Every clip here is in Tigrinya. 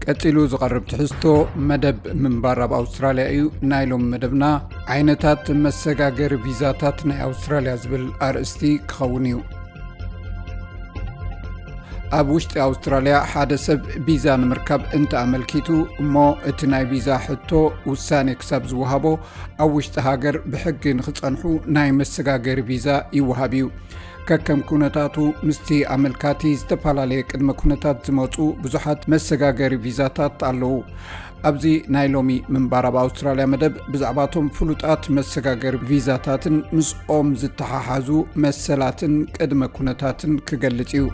ቀጺሉ ዝቐርብ ትሕዝቶ መደብ ምንባር ኣብ ኣውስትራልያ እዩ። ናይ ሎም መደብና ዓይነታት መሰጋገሪ ቪዛታት ናይ ኣውስትራልያ ዝብል ኣርእስቲ ክኸውን እዩ። ኣብ ውሽጢ ኣውስትራልያ ሓደ ሰብ ቪዛ ንምርካብ እንተ ኣመልኪቱ እሞ እቲ ናይ ቪዛ ሕቶ ውሳኔ ክሳብ ዝወሃቦ ኣብ ውሽጢ ሃገር ብሕጊ ንኽጸንሑ ናይ መሰጋገሪ ቪዛ ይወሃብ እዩ። ከከም ኩነታቱ ምስቲ ኣመልካቲ ዝተፈላለየ ቅድመ ኩነታት ዝመጹ ብዙሓት መሰጋገሪ ቪዛታት ኣለዉ። ኣብዚ ናይ ሎሚ ምንባር ኣብ ኣውስትራልያ መደብ ብዛዕባቶም ፍሉጣት መሰጋገሪ ቪዛታትን ምስኦም ዝተሓሓዙ መሰላትን ቅድመ ኩነታትን ክገልጽ እዩ።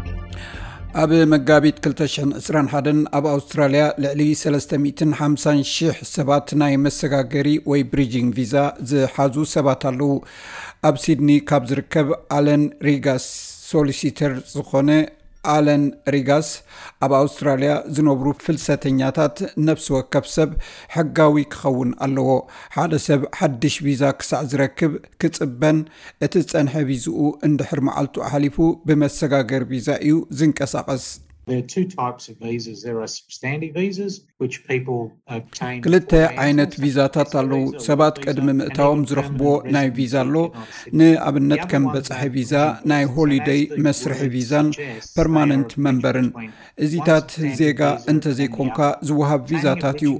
ኣብ መጋቢት ክልተ ሽሕን ዕስራን ሓደን ኣብ ኣውስትራልያ ልዕሊ ሰለስተ ሚእትን ሓምሳን ሽሕ ሰባት ናይ መሰጋገሪ ወይ ብሪጂንግ ቪዛ ዝሓዙ ሰባት ኣለዉ። ኣብ ሲድኒ ካብ ዝርከብ ኣለን ሪጋስ ሶሊሲተር ዝኾነ ኣለን ሪጋስ፣ ኣብ ኣውስትራልያ ዝነብሩ ፍልሰተኛታት ነፍሲ ወከፍ ሰብ ሕጋዊ ክኸውን ኣለዎ። ሓደ ሰብ ሓድሽ ቪዛ ክሳዕ ዝረክብ ክጽበን እቲ ዝጸንሐ ቪዝኡ እንድሕር መዓልቱ ኣሕሊፉ ብመሰጋገር ቪዛ እዩ ዝንቀሳቐስ። There are two types of visas. There are substantive visas, which people obtain ክልተ ዓይነት ቪዛታት ኣለዉ። ሰባት ቅድሚ ምእታዎም ዝረኽብዎ ናይ ቪዛ ኣሎ። ንኣብነት ከም በጻሒ ቪዛ፣ ናይ ሆሊደይ መስርሒ ቪዛን ፐርማነንት መንበርን። እዚታት ዜጋ እንተዘይኮንካ ዝወሃብ ቪዛታት እዩ።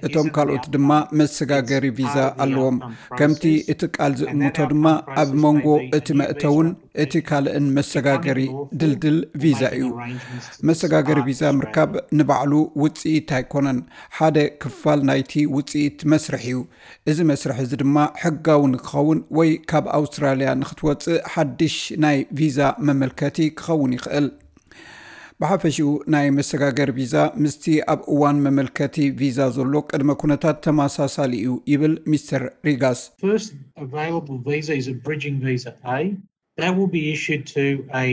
እቶም ካልኦት ድማ መሰጋገሪ ቪዛ ኣለዎም። ከምቲ እቲ ቃል ዝእምቶ ድማ ኣብ መንጎ እቲ መእተውን እቲ ካልእን መሰጋገሪ ድልድል ቪዛ እዩ። መሰጋገሪ ቪዛ ምርካብ ንባዕሉ ውጽኢት ኣይኮነን፣ ሓደ ክፋል ናይቲ ውጽኢት መስርሕ እዩ። እዚ መስርሕ እዚ ድማ ሕጋዊ ንክኸውን ወይ ካብ ኣውስትራልያ ንክትወጽእ ሓድሽ ናይ ቪዛ መመልከቲ ክኸውን ይኽእል። ብሓፈሽኡ ናይ መሰጋገሪ ቪዛ ምስቲ ኣብ እዋን መመልከቲ ቪዛ ዘሎ ቅድመ ኩነታት ተመሳሳሊ እዩ ይብል ሚስተር ሪጋስ። First available visa is a bridging visa A. That will be issued to a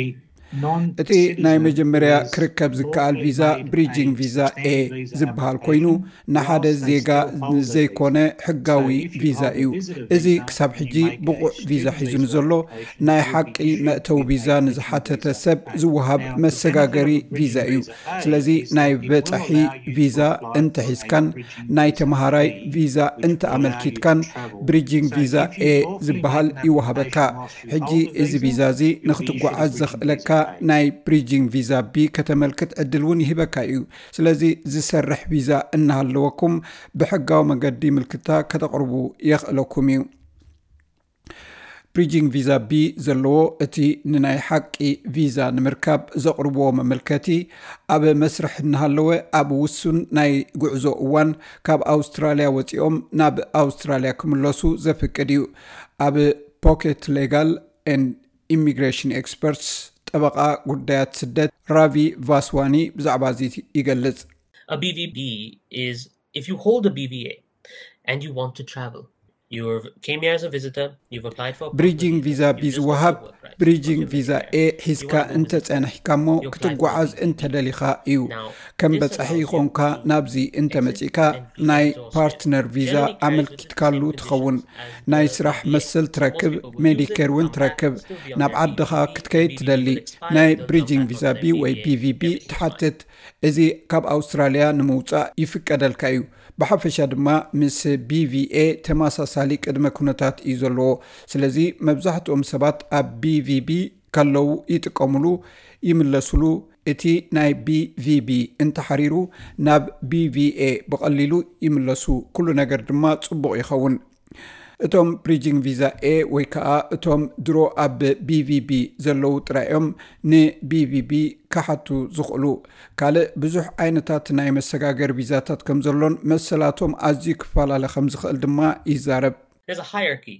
እቲ ናይ መጀመርያ ክርከብ ዝከኣል ቪዛ ብሪጂንግ ቪዛ ኤ ዝበሃል ኮይኑ ንሓደ ዜጋ ዘይኮነ ሕጋዊ ቪዛ እዩ። እዚ ክሳብ ሕጂ ብቑዕ ቪዛ ሒዙ ንዘሎ ናይ ሓቂ መእተዊ ቪዛ ንዝሓተተ ሰብ ዝወሃብ መሰጋገሪ ቪዛ እዩ። ስለዚ ናይ በጻሒ ቪዛ እንተሒዝካን ናይ ተመሃራይ ቪዛ እንተኣመልኪትካን ብሪጂንግ ቪዛ ኤ ዝበሃል ይወሃበካ። ሕጂ እዚ ቪዛ እዚ ንክትጓዓዝ ዘኽእለካ ናይ ብሪጂንግ ቪዛ ቢ ከተመልክት ዕድል እውን ይህበካ እዩ። ስለዚ ዝሰርሕ ቪዛ እናሃለወኩም ብሕጋዊ መገዲ ምልክታ ከተቕርቡ የኽእለኩም እዩ። ብሪጂንግ ቪዛ ቢ ዘለዎ እቲ ንናይ ሓቂ ቪዛ ንምርካብ ዘቕርብዎ መመልከቲ ኣብ መስርሕ እናሃለወ ኣብ ውሱን ናይ ጉዕዞ እዋን ካብ ኣውስትራልያ ወፂኦም ናብ ኣውስትራልያ ክምለሱ ዘፍቅድ እዩ። ኣብ ፖኬት ሌጋል ኤንድ ኢሚግሬሽን ኤክስፐርትስ ጠበቓ ጉዳያት ስደት ራቪ ቫስዋኒ ብዛዕባ እዚ ይገልጽ። A B V B is if you hold a B V A and you want to travel. You came here as a visitor, you've applied for a ብሪጂንግ ቪዛ ቢ ዝወሃብ ብሪጂንግ ቪዛ ኤ ሒዝካ እንተጸንሕካ እሞ ክትጓዓዝ እንተደሊኻ እዩ። ከም በጻሒ ይኾንካ ናብዚ እንተመጺእካ ናይ ፓርትነር ቪዛ ኣመልኪትካሉ ትኸውን። ናይ ስራሕ መሰል ትረክብ፣ ሜዲኬር እውን ትረክብ። ናብ ዓድኻ ክትከይድ ትደሊ፣ ናይ ብሪጂንግ ቪዛ ቢ ወይ ቢ ቪ ቢ ትሓትት። እዚ ካብ ኣውስትራልያ ንምውጻእ ይፍቀደልካ እዩ። ብሓፈሻ ድማ ምስ ቢ ቪ ኤ ተመሳሳሊ ቅድመ ኩነታት እዩ ዘለዎ። ስለዚ መብዛሕትኦም ሰባት ኣብ ቢ ቪ ቢ ከለዉ ይጥቀምሉ፣ ይምለስሉ። እቲ ናይ ቢ ቪ ቢ እንተሓሪሩ ናብ ቢ ቪ ኤ ብቐሊሉ ይምለሱ። ኩሉ ነገር ድማ ጽቡቕ ይኸውን። እቶም ብሪጂንግ ቪዛ ኤ ወይ ከዓ እቶም ድሮ ኣብ ቢ ቪ ቢ ዘለዉ ጥራይ እዮም ን ቢ ቪ ቢ ክሓቱ ዝኽእሉ። ካልእ ብዙሕ ዓይነታት ናይ መሰጋገሪ ቪዛታት ከም ዘሎን መሰላቶም ኣዝዩ ክፈላለ ከም ዝኽእል ድማ ይዛረብ። There's a hierarchy.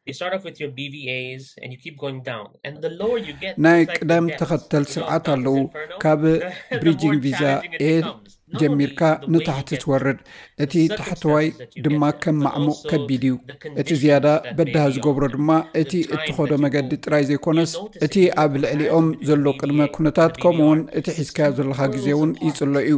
You start off with your B V As and you keep going down. And the lower you get, ናይ it's like the ቅደም depths. ተኸተል You know, ስርዓት down ኣለዉ። this inferno, ካብ the more ብሪጂንግ challenging ቪዛ it ኤ becomes. Not only ጀሚርካ the way you ንታሕቲ get ትወርድ፣ there, እቲ the ታሕተዋይ circumstances that you ድማ get there, ከም but ማዕሙቕ also ከቢድ እዩ። the እቲ conditions ዝያዳ that may በዳህ be on ዝገብሮ you. ድማ The እቲ time እትኸዶ that you መገዲ go. ጥራይ ዘይኮነስ You'll notice እቲ if you ኣብ have ልዕሊኦም passed ዘሎ the ቅድመ B V A ኩነታት and the ከምኡውን B V R. እቲ ሒዝካዮ ዘለኻ ግዜ እውን Worlds apart. ይጽሎ እዩ።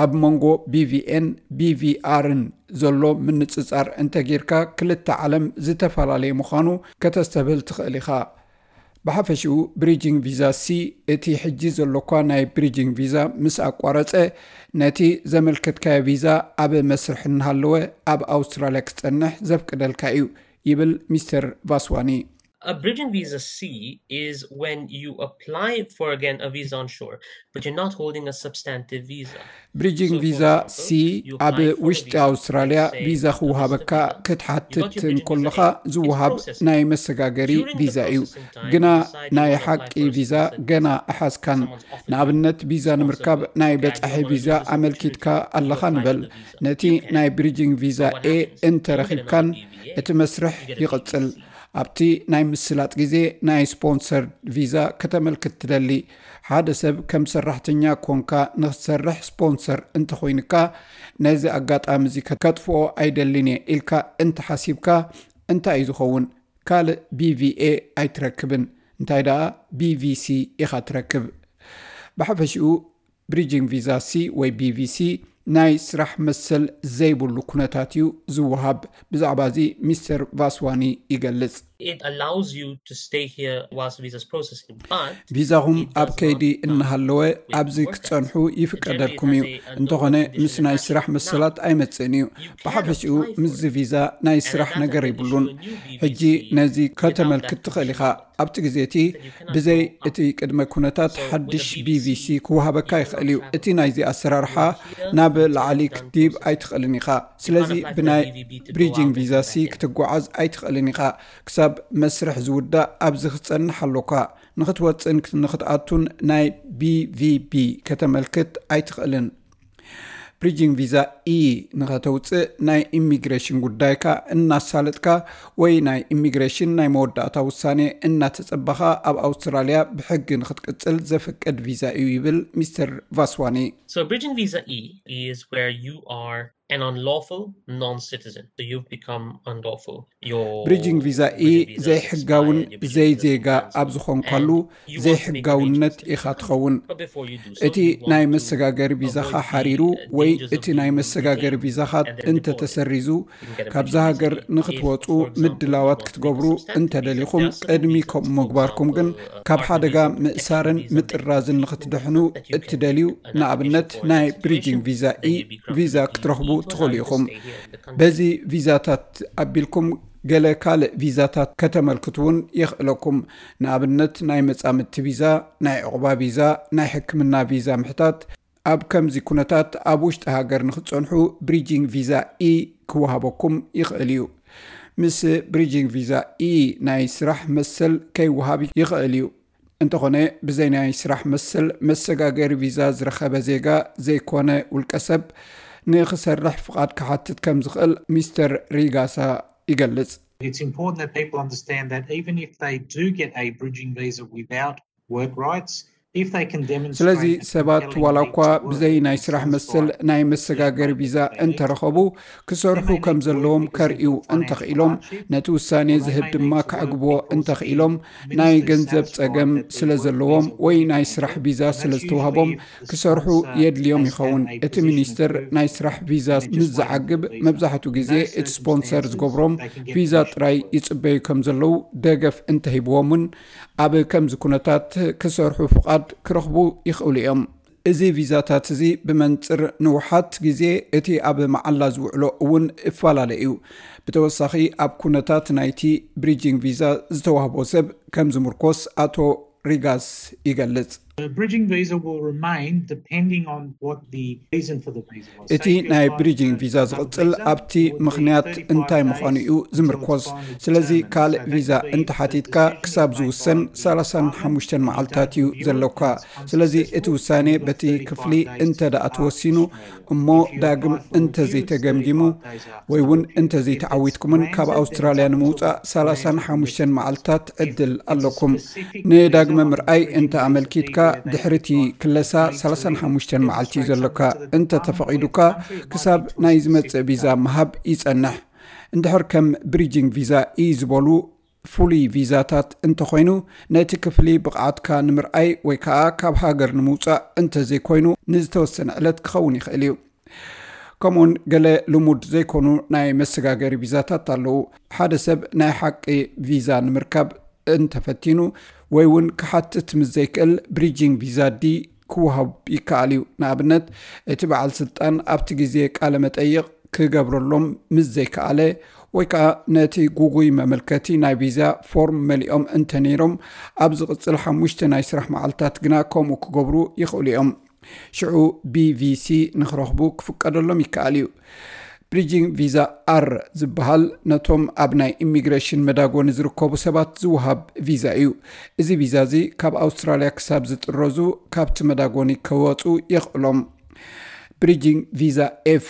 ኣብ መንጎ ቢ ቪ ኤን ቢ ቪ ኣርን ዘሎ ምንጽጻር እንተጌርካ ክልተ ዓለም ዝተፈላለየ ምዃኑ ከተስተብህል ትኽእል ኢኻ። ብሓፈሽኡ ብሪጂንግ ቪዛ ሲ፣ እቲ ሕጂ ዘሎኳ ናይ ብሪጂንግ ቪዛ ምስ ኣቋረጸ፣ ነቲ ዘመልከትካዮ ቪዛ ኣብ መስርሕ እናሃለወ ኣብ ኣውስትራልያ ክጸንሕ ዘፍቅደልካ እዩ፣ ይብል ሚስተር ቫስዋኒ። A bridging visa C is when you apply for, again, a visa on shore, but you're not holding a substantive visa. ብሪጂንግ ቪዛ ሲ ኣብ ውሽጢ ኣውስትራልያ ቪዛ ክወሃበካ ክትሓትት እንከለኻ ዝወሃብ ናይ መሰጋገሪ ቪዛ እዩ። ግና ናይ ሓቂ ቪዛ ገና ኣሓዝካን። ንኣብነት፣ ቪዛ ንምርካብ ናይ በጻሒ ቪዛ ኣመልኪትካ ኣለኻ ንበል። ነቲ ናይ ብሪጂንግ ቪዛ ኤ እንተረኺብካን፣ እቲ መስርሕ ይቕጽል። ኣብቲ ናይ ምስላጥ ግዜ ናይ ስፖንሰር ቪዛ ከተመልክት ትደሊ። ሓደ ሰብ ከም ሰራሕተኛ ኮንካ ንክትሰርሕ ስፖንሰር እንተኾይንካ፣ ነዚ ኣጋጣሚ እዚ ከጥፍኦ ኣይደልን እየ ኢልካ እንተሓሲብካ፣ እንታይ እዩ ዝኸውን? ካልእ ቢ ቪ ኤ ኣይትረክብን። እንታይ ደኣ፣ ቢ ቪ ሲ ኢኻ ትረክብ። ብሓፈሽኡ ብሪጂንግ ቪዛ ሲ ወይ ቢ ቪ ሲ ናይ ስራሕ መሰል ዘይብሉ ኩነታት እዩ ዝወሃብ። ብዛዕባ እዚ ሚስተር ቫስዋኒ ይገልጽ። It allows you to stay here whilst visa's processing, but ቪዛኹም ኣብ ከይዲ እናሃለወ ኣብዚ ክትጸንሑ ይፍቀደልኩም እዩ። እንተኾነ ምስ ናይ ስራሕ መሰላት ኣይመጽእን እዩ። ብሓፈሽኡ ምስዚ ቪዛ ናይ ስራሕ ነገር ይብሉን። ሕጂ ነዚ ከተመልክት ትኽእል ኢኻ። ኣብቲ ግዜ እቲ ብዘይ እቲ ቅድመ ኩነታት ሓድሽ ቢ ቪ ሲ ክወሃበካ ይኽእል እዩ። እቲ ናይዚ ኣሰራርሓ ናብ ላዕሊ ክትዲብ ኣይትኽእልን ኢኻ። ስለዚ ብናይ ብሪጂንግ ቪዛ ሲ ክትጓዓዝ ኣይትኽእልን ኢኻ። ክሳብ መስርሕ ዝውዳእ ኣብዚ ክትጸንሕ ኣሎካ። ንኽትወጽእን ንኽትኣቱን ናይ ቢ ቪ ቢ ከተመልክት ኣይትኽእልን። ብሪጂንግ ቪዛ ኢ ንኸተውፅእ ናይ ኢሚግሬሽን ጉዳይካ እናሳለጥካ ወይ ናይ ኢሚግሬሽን ናይ መወዳእታ ውሳኔ እናተጸበኻ ኣብ ኣውስትራልያ ብሕጊ ንኽትቅጽል ዘፍቅድ ቪዛ እዩ ይብል ሚስተር ቫስዋኒ። So bridging visa E is where you are an unlawful non-citizen. So you've become unlawful. Your ብሪጂንግ ቪዛ ኢ ዘይሕጋውን ዘይዜጋ ኣብ ዝኾንካሉ ዘይሕጋውነት ኢኻ ትኸውን። እቲ ናይ መሰጋገሪ ቪዛኻ ሓሪሩ ወይ እቲ ናይ መሰጋገሪ ቪዛኻ እንተተሰሪዙ፣ ካብዛ ሃገር ንኽትወፁ ምድላዋት ክትገብሩ እንተደሊኹም፣ ቅድሚ ከምኡ ምግባርኩም ግን ካብ ሓደጋ ምእሳርን ምጥራዝን ንኽትድሕኑ እትደልዩ፣ ንኣብነት ናይ ብሪጂንግ ቪዛ ኢ ቪዛ ክትረኽቡ ትኽእሉ ኢኹም። በዚ ቪዛታት ኣቢልኩም ገለ ካልእ ቪዛታት ከተመልክቱ እውን የኽእለኩም። ንኣብነት ናይ መጻምድቲ ቪዛ፣ ናይ ዕቑባ ቪዛ፣ ናይ ሕክምና ቪዛ ምሕታት። ኣብ ከምዚ ኩነታት ኣብ ውሽጢ ሃገር ንኽትጸንሑ ብሪጂንግ ቪዛ ኢ ክወሃበኩም ይኽእል እዩ። ምስ ብሪጂንግ ቪዛ ኢ ናይ ስራሕ መሰል ከይወሃብ ይኽእል እዩ። እንተኾነ ብዘይ ናይ ስራሕ መሰል መሰጋገሪ ቪዛ ዝረኸበ ዜጋ ዘይኮነ ውልቀ ሰብ ንኽሰርሕ ፍቓድ ክሓትት ከም ዝኽእል ሚስተር ሪጋሳ ይገልጽ። It's important that people understand that even if they do get a bridging visa without work rights, if they can demonstrate ስለዚ ሰባት ዋላ እኳ ብዘይ ናይ ስራሕ መሰል ናይ መሰጋገሪ ቪዛ እንተረኸቡ፣ ክሰርሑ ከም ዘለዎም ከርእዩ እንተኽኢሎም፣ ነቲ ውሳኔ ዝህብ ድማ ከዕግብዎ እንተኽኢሎም፣ ናይ ገንዘብ ጸገም ስለ ዘለዎም ወይ ናይ ስራሕ ቪዛ ስለ ዝተዋህቦም ክሰርሑ የድልዮም ይኸውን። እቲ ሚኒስትር ናይ ስራሕ ቪዛ ምስ ዝዓግብ፣ መብዛሕትኡ ግዜ እቲ ስፖንሰር ዝገብሮም ቪዛ ጥራይ ይጽበዩ ከም ዘለዉ ደገፍ እንተሂብዎም እውን፣ ኣብ ከምዚ ኩነታት ክሰርሑ ፍቓድ ክረኽቡ ይኽእሉ እዮም። እዚ ቪዛታት እዚ ብመንጽር ንውሓት ግዜ እቲ ኣብ መዓላ ዝውዕሎ እውን እፈላለ እዩ። ብተወሳኺ ኣብ ኩነታት ናይቲ ብሪጂንግ ቪዛ ዝተዋህቦ ሰብ ከም ዝምርኮስ ኣቶ ሪጋስ ይገልጽ። The bridging visa will remain depending on what the reason for the visa was. እቲ ናይ ብሪጂንግ ቪዛ ዝቕጽል ኣብቲ ምኽንያት እንታይ ምዃኑ እዩ ዝምርኮስ። ስለዚ ካልእ ቪዛ እንተሓቲትካ ክሳብ ዝውሰን ሰላሳን ሓሙሽተን መዓልታት እዩ ዘሎካ። ስለዚ እቲ ውሳኔ በቲ ክፍሊ እንተ ደኣ ተወሲኑ እሞ ዳግም እንተዘይተገምጊሙ ወይ እውን እንተዘይተዓዊትኩምን ካብ ኣውስትራልያ ንምውጻእ ሰላሳን ሓሙሽተን መዓልታት ዕድል ኣለኩም። ንዳግመ ምርኣይ እንተ ኣመልኪትካ ድሕሪ እቲ ክለሳ ሰላሳን ሓሙሽተን መዓልቲ እዩ ዘሎካ። እንተ ተፈቒዱካ ክሳብ ናይ ዝመጽእ ቪዛ ምሃብ ይጸንሕ። እንድሕር ከም ብሪጂንግ ቪዛ ኢ ዝበሉ ፍሉይ ቪዛታት እንተኾይኑ፣ ነቲ ክፍሊ ብቕዓትካ ንምርኣይ ወይ ከኣ ካብ ሃገር ንምውጻእ እንተዘይኮይኑ ንዝተወሰነ ዕለት ክኸውን ይኽእል እዩ። ከምኡውን ገለ ልሙድ ዘይኮኑ ናይ መሰጋገሪ ቪዛታት ኣለዉ። ሓደ ሰብ ናይ ሓቂ ቪዛ ንምርካብ እንተፈቲኑ፣ ወይ እውን ክሓትት ምስ ዘይክእል ብሪጂንግ ቪዛ ዲ ክወሃብ ይከኣል እዩ። ንኣብነት፣ እቲ በዓል ስልጣን ኣብቲ ግዜ ቃለ መጠይቕ ክገብረሎም ምስ ዘይከኣለ፣ ወይ ከዓ ነቲ ጉጉይ መመልከቲ ናይ ቪዛ ፎርም መሊኦም እንተነይሮም፣ ኣብ ዝቕጽል ሓሙሽተ ናይ ስራሕ መዓልታት ግና ከምኡ ክገብሩ ይኽእሉ እዮም። ሽዑ ቢቪሲ ንክረኽቡ ክፍቀደሎም ይከኣል እዩ። ብሪጂንግ ቪዛ ኣር ዝበሃል ነቶም ኣብ ናይ ኢሚግሬሽን መዳጎኒ ዝርከቡ ሰባት ዝወሃብ ቪዛ እዩ። እዚ ቪዛ እዚ ካብ ኣውስትራልያ ክሳብ ዝጥረዙ ካብቲ መዳጎኒ ከወፁ የኽእሎም። ብሪጂንግ ቪዛ ኤፍ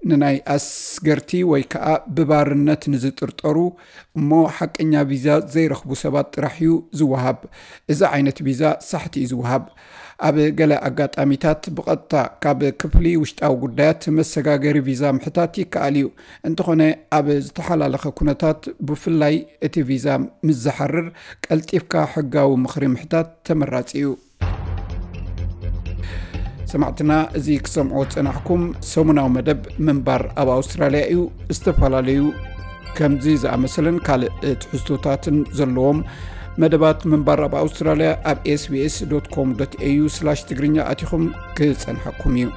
ንናይ ኣስገርቲ ወይ ከዓ ብባርነት ንዝጥርጠሩ እሞ ሓቀኛ ቪዛ ዘይረኽቡ ሰባት ጥራሕ እዩ ዝወሃብ። እዚ ዓይነት ቪዛ ሳሕቲ እዩ ዝወሃብ። ኣብ ገለ ኣጋጣሚታት ብቐጥታ ካብ ክፍሊ ውሽጣዊ ጉዳያት መሰጋገሪ ቪዛ ምሕታት ይከኣል እዩ። እንተኾነ ኣብ ዝተሓላለኸ ኩነታት፣ ብፍላይ እቲ ቪዛ ምስ ዝሓርር፣ ቀልጢፍካ ሕጋዊ ምኽሪ ምሕታት ተመራጺ እዩ። ሰማዕትና፣ እዚ ክሰምዖ ዝጸናሕኩም ሰሙናዊ መደብ ምንባር ኣብ ኣውስትራልያ እዩ። ዝተፈላለዩ ከምዚ ዝኣመሰለን ካልእ ትሕዝቶታትን ዘለዎም መደባት ምንባር ኣብ ኣውስትራልያ ኣብ ኤስቢኤስ ዶት ኮም ዶት ኤዩ ስላሽ ትግርኛ ኣቲኹም ክጸንሐኩም እዩ።